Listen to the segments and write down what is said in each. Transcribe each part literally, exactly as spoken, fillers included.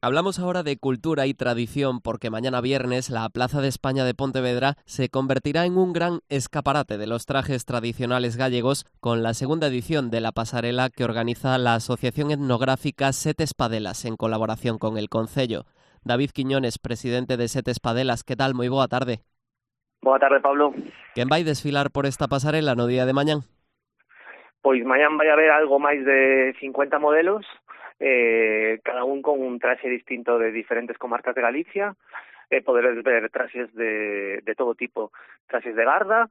Hablamos ahora de cultura y tradición porque mañana viernes la Plaza de España de Pontevedra se convertirá en un gran escaparate de los trajes tradicionales gallegos con la segunda edición de la pasarela que organiza la Asociación Etnográfica Sete Espadelas en colaboración con el Concello. David Quiñones, presidente de Sete Espadelas, ¿qué tal? Moi boa tarde. Boa tarde, Pablo. Quen vai desfilar por esta pasarela no día de mañán? Pois mañán vai haber algo máis de cincuenta modelos, eh, cada un con un traxe distinto de diferentes comarcas de Galicia. Eh, poderes ver traxes de, de todo tipo, traxes de garda,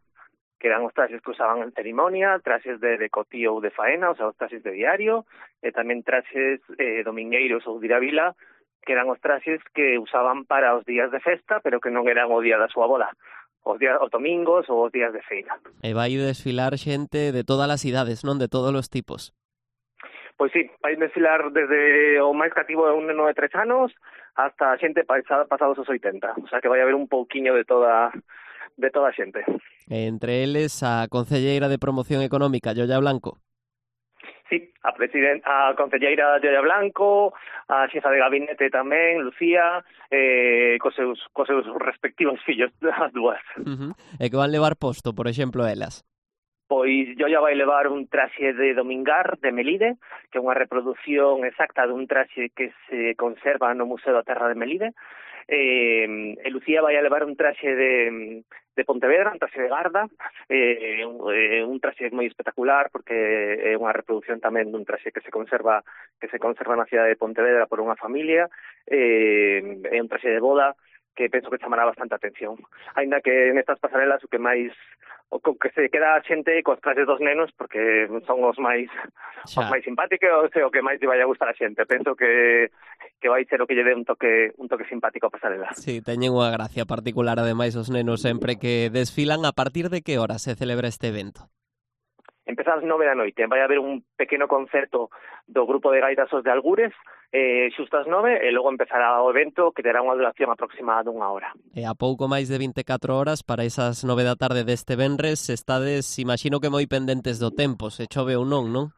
que eran os traxes que usaban en ceremonia, traxes de, de cotío ou de faena, o sea, os traxes de diario, e tamén traxes eh, domingueiros ou de ir a vila, que eran os traxes que usaban para os días de festa, pero que non eran o día da súa boda, os días os domingos ou os días de feira. E vai desfilar xente de todas as idades, non? De todos os tipos. Pois sí, vai desfilar desde o máis cativo de un neno de tres anos hasta a xente pasados os oitenta, o sea que vai haber un pouquiño de toda de toda a xente. Entre eles a concelleira de Promoción Económica, Yolla Blanco. Sí, a presidenta, a concelleira Yolla Blanco, a xefa de gabinete tamén, Lucía, eh, cos seus, cos seus respectivos fillos, as dúas. Uh-huh. E que van levar posto, por exemplo, elas? Pois Yolla vai levar un traxe de domingar de Melide, que é unha reproducción exacta dun traxe que se conserva no Museo da Terra de Melide. Eh, e Lucía vai a levar un traxe de, de Pontevedra, un traxe de garda, eh, un, eh, un traxe moi espectacular porque é unha reproducción tamén dun traxe que se conserva que se conserva na cidade de Pontevedra por unha familia, eh, é un traxe de boda que penso que chamará bastante atención. Aínda que nestas pasarelas o que máis o que se queda a xente cos traxes dos nenos porque son os máis Xa. os máis simpáticos e o que máis lle vai a gustar a xente. Penso que que vai ser o que lle dé un toque un toque simpático a pasarela. Sí, teñen unha gracia particular ademais os nenos sempre que desfilan. A partir de que hora se celebra este evento? Empeza ás nove da noite, vai haber un pequeno concerto do grupo de gaitazos de Algures, eh, xusto ás nove, e logo empezará o evento que terá unha duración aproximada dunha hora. E a pouco máis de vinte e catro horas para esas nove da tarde deste venres, estades, imagino que moi pendentes do tempo, se chove ou non, non?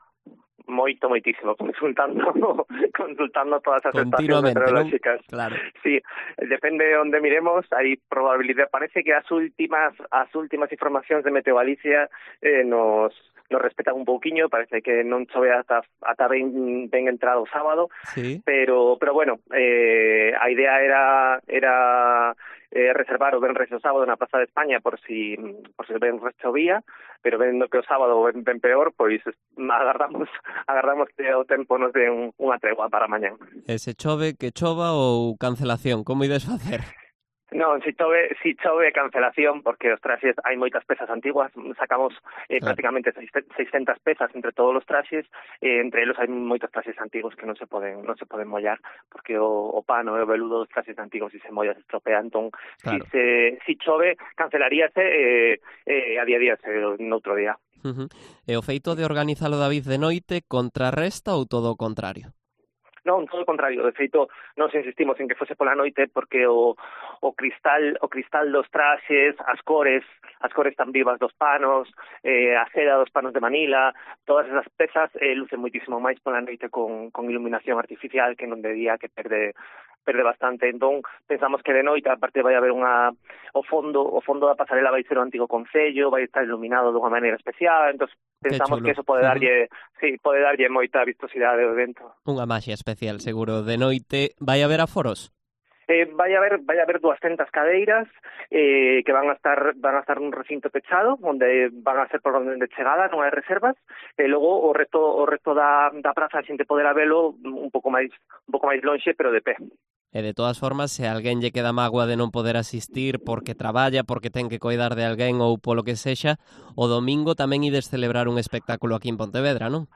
Moito, moitísimo, consultando consultando todas as estacións meteorolóxicas. meteorolóxicas. Claro. Sí, depende de onde miremos, hai probabilidade, parece que as últimas as últimas informacións de Meteo Galicia eh, nos nos respetan un pouquiño, parece que non chove ata ata ben, ben entrado o sábado, sí. pero pero bueno, eh, a idea era era eh, reservar o venres o sábado na Plaza de España por si por si o venres chovía, pero vendo que o sábado ben, ben peor, pois agardamos agardamos que o tempo nos dé un, unha tregua para mañán. E se chove, que chova ou cancelación, como ides facer? Non, si chove, si chove cancelación, porque os traxes hai moitas pezas antiguas, sacamos eh, claro. prácticamente seiscentas pezas entre todos os traxes, eh, entre eles hai moitos traxes antigos que non se poden non se poden mollar, porque o, o pano e o veludo dos traxes antigos se molla se estropea, entón claro. si, se, si chove cancelaríase eh, eh, a día a día se, noutro día. Uh-huh. E o feito de organizalo, David, de noite contrarresta ou todo o contrario? Non, todo o contrario, de feito, nos insistimos en que fose pola noite porque o, o cristal o cristal dos traxes, as cores, as cores tan vivas dos panos, eh, a seda dos panos de Manila, todas esas pezas eh, lucen moitísimo máis pola noite con, con iluminación artificial que non de día, que perde perde bastante. Entón, pensamos que de noite, aparte vai haber unha o fondo, o fondo da pasarela vai ser o antigo concello, vai estar iluminado dunha maneira especial, entón pensamos que eso pode darlle, uh-huh. sí, pode darlle moita vistosidade ao evento. Unha maxia especial, seguro. De noite vai haber aforos? Eh, vai haber vai haber duascentas cadeiras eh, que van a estar van a estar nun recinto pechado onde van a ser por orden de chegada, non hai reservas, e logo o resto o resto da da praza a xente poderá velo un pouco máis un pouco máis lonxe, pero de pé. E de todas formas, se alguén lle queda mágoa de non poder asistir porque traballa, porque ten que coidar de alguén ou polo que sexa, o domingo tamén ides celebrar un espectáculo aquí en Pontevedra, non?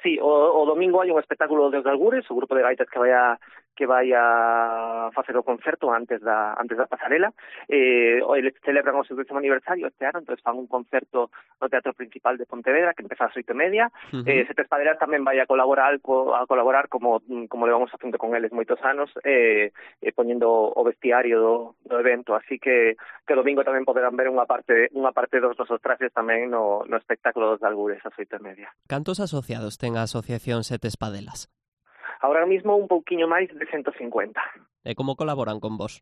Sí, o, o domingo hai un espectáculo dos Algures, o grupo de gaitas que vai a que vai a facer o concerto antes da antes da pasarela. Eh, eles celebran o seu décimo aniversario este ano, entón fan un concerto no Teatro Principal de Pontevedra que empeza ás oito e media. Uh-huh. Eh, Sete Espadelas tamén vai a colaborar co, a colaborar como como levamos facendo con eles moitos anos, eh, eh, poñendo o vestiario do, do evento, así que que domingo tamén poderán ver unha parte unha parte dos nosos traxes tamén no, no espectáculo dos Algures ás oito e media. Cantos asociados ten a Asociación Sete Espadelas? Ahora mismo un pouquiño máis de ciento cincuenta. E como colaboran con vos?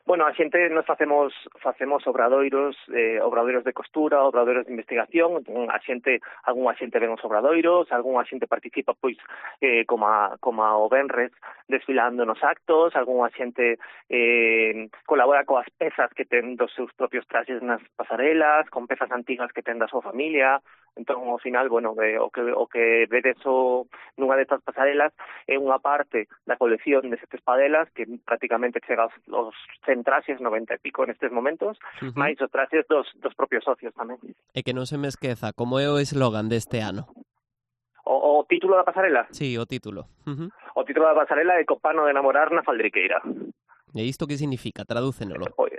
Bueno, a xente nos facemos facemos obradoiros, eh, obradoiros de costura, obradoiros de investigación, entón a xente, algún a xente ven os obradoiros, algún a xente participa pois eh, como a, como a o venres desfilando nos actos, algún a xente eh, colabora coas pezas que ten dos seus propios traxes nas pasarelas, con pezas antigas que ten da súa familia. Entón, ao final, bueno, eh, o que o que vedes o, nunha destas pasarelas é unha parte da colección de sete espadelas que prácticamente chega aos, aos cen traxes, noventa e pico nestes momentos, uh-huh. máis os traxes dos, dos propios socios tamén. E que non se me esqueza, como é o eslogan deste ano? O, o título da pasarela? Sí, o título. Uh-huh. O título da pasarela é Copano de enamorar na faldriqueira. E isto que significa? Tradúcenolo. Oye,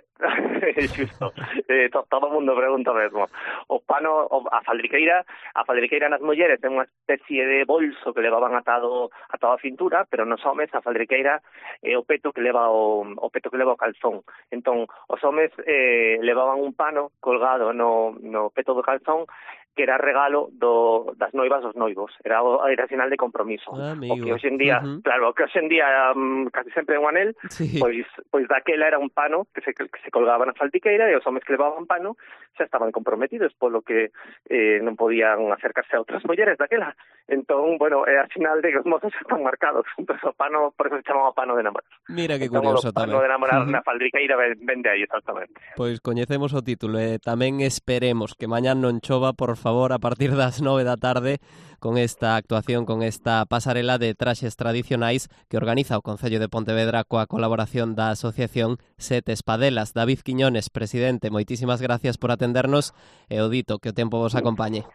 xusto. Eh, to, todo o mundo pregunta mesmo. O pano, o, a faldriqueira, a faldriqueira nas mulleres ten unha especie de bolso que levaban atado atado a cintura, pero nos homes a faldriqueira é o peto que leva o, o peto que leva o calzón. Entón, os homes eh, levaban un pano colgado no, no peto do calzón que era regalo do, das noivas dos noivos, era era sinal de compromiso. Ah, o que hoxe en día, uh-huh. claro, o que hoxe en día um, casi sempre é un anel, sí. pois pois daquela era un pano que se que se colgaba na faldiqueira e os homes que levaban pano xa estaban comprometidos, polo que eh, non podían acercarse a outras mulleres daquela. Entón, bueno, é a sinal de que os mozos están marcados. Entón, o pano, por eso se chamaba pano de enamorar. Mira que entón, curioso tamén. O pano de enamorar uh-huh. na faldiqueira ven de aí, exactamente. Pois coñecemos o título e tamén esperemos que mañán non chova, por favor, a partir das nove da tarde con esta actuación, con esta pasarela de traxes tradicionais que organiza o Concello de Pontevedra coa colaboración da Asociación Sete Espadelas. David Quiñones, presidente, moitísimas gracias por atendernos e o dito, que o tempo vos acompañe.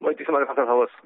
Moitísimas gracias a vos.